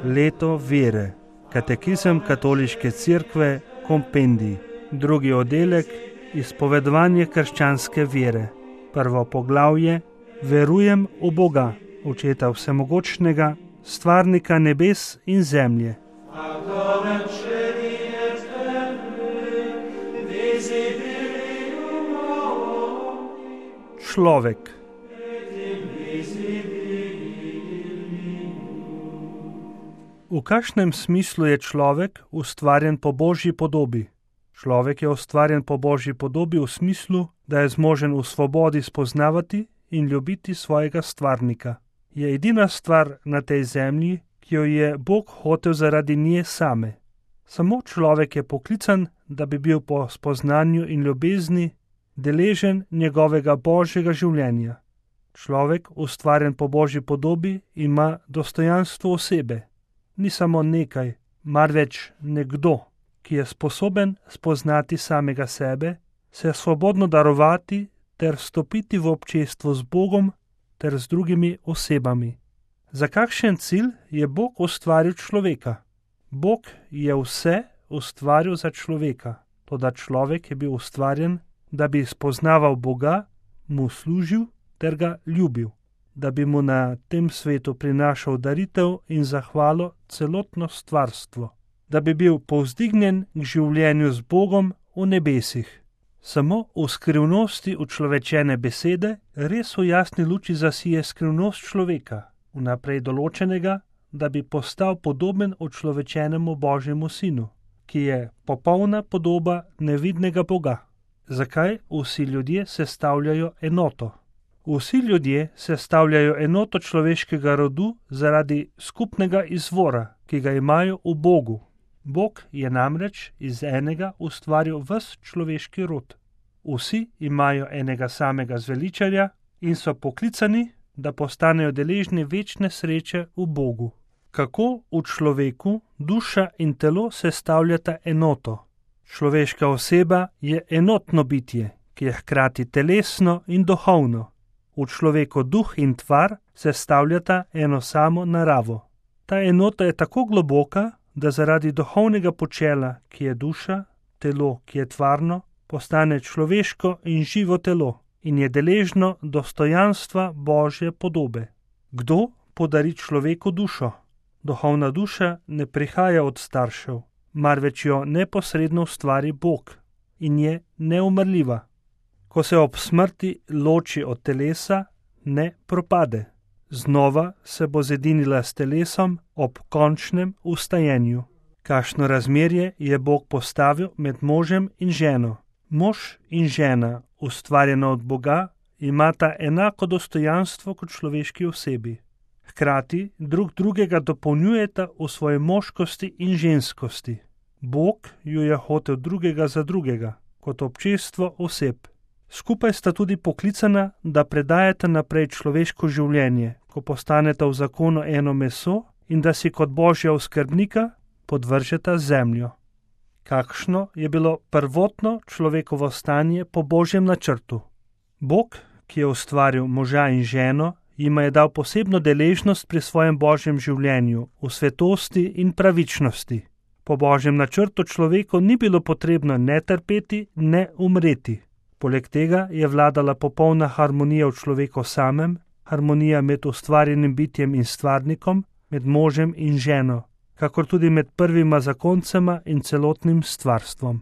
Leto vere. Katekizem Katoliške cerkve, kompendij. Drugi oddelek, izpovedovanje krščanske vere. Prvo poglavje, verujem v Boga, Očeta vsemogočnega, stvarnika nebes in zemlje. Človek. V kakšnem smislu je človek ustvarjen po Božji podobi? Človek je ustvarjen po Božji podobi v smislu, da je zmožen v svobodi spoznavati in ljubiti svojega stvarnika. Je edina stvar na tej zemlji, ki jo je Bog hotel zaradi nje same. Samo človek je poklican, da bi bil po spoznanju in ljubezni deležen njegovega Božjega življenja. Človek, ustvarjen po Božji podobi, ima dostojanstvo osebe. Ni samo nekaj, marveč nekdo, ki je sposoben spoznati samega sebe, se svobodno darovati ter stopiti v občestvo z Bogom ter z drugimi osebami. Za kakšen cilj je Bog ustvaril človeka? Bog je vse ustvaril za človeka, toda človek je bil ustvarjen, da bi spoznaval Boga, mu služil ter ga ljubil, da bi mu na tem svetu prinašal daritev in zahvalo celotno stvarstvo, da bi bil povzdignjen k življenju z Bogom v nebesih. Samo v skrivnosti učlovečene besede res v jasni luči zasije skrivnost človeka, vnaprej določenega, da bi postal podoben učlovečenemu Božjemu sinu, ki je popolna podoba nevidnega Boga. Zakaj vsi ljudje sestavljajo enoto? Vsi ljudje sestavljajo enoto človeškega rodu zaradi skupnega izvora, ki ga imajo v Bogu. Bog je namreč iz enega ustvaril ves človeški rod. Vsi imajo enega samega zveličarja in so poklicani, da postanejo deležni večne sreče v Bogu. Kako v človeku duša in telo sestavljata enoto? Človeška oseba je enotno bitje, ki je hkrati telesno in duhovno. V človeku duh in tvar sestavljata eno samo naravo. Ta enota je tako globoka, da zaradi duhovnega počela, ki je duša, telo, ki je tvarno, postane človeško in živo telo in je deležno dostojanstva Božje podobe. Kdo podari človeku dušo? Duhovna duša ne prihaja od staršev, marveč jo neposredno ustvari Bog in je neumrljiva. Ko se ob smrti loči od telesa, ne propade. Znova se bo zedinila s telesom ob končnem vstajenju. Kakšno razmerje je Bog postavil med možem in ženo? Mož in žena, ustvarjena od Boga, imata enako dostojanstvo kot človeški osebi. Hkrati drug drugega dopolnjujeta v svoji moškosti in ženskosti. Bog ju je hotel drugega za drugega, kot občestvo oseb. Skupaj sta tudi poklicana, da predajata naprej človeško življenje, ko postaneta v zakonu eno meso in da si kot Božja oskrbnika podvržeta zemljo. Kakšno je bilo prvotno človekovo stanje po Božjem načrtu? Bog, ki je ustvaril moža in ženo, jima je dal posebno deležnost pri svojem Božjem življenju, v svetosti in pravičnosti. Po Božjem načrtu človeku ni bilo potrebno ne trpeti, ne umreti. Poleg tega je vladala popolna harmonija v človeku samem, harmonija med ustvarjenim bitjem in stvarnikom, med možem in ženo, kakor tudi med prvima zakoncema in celotnim stvarstvom.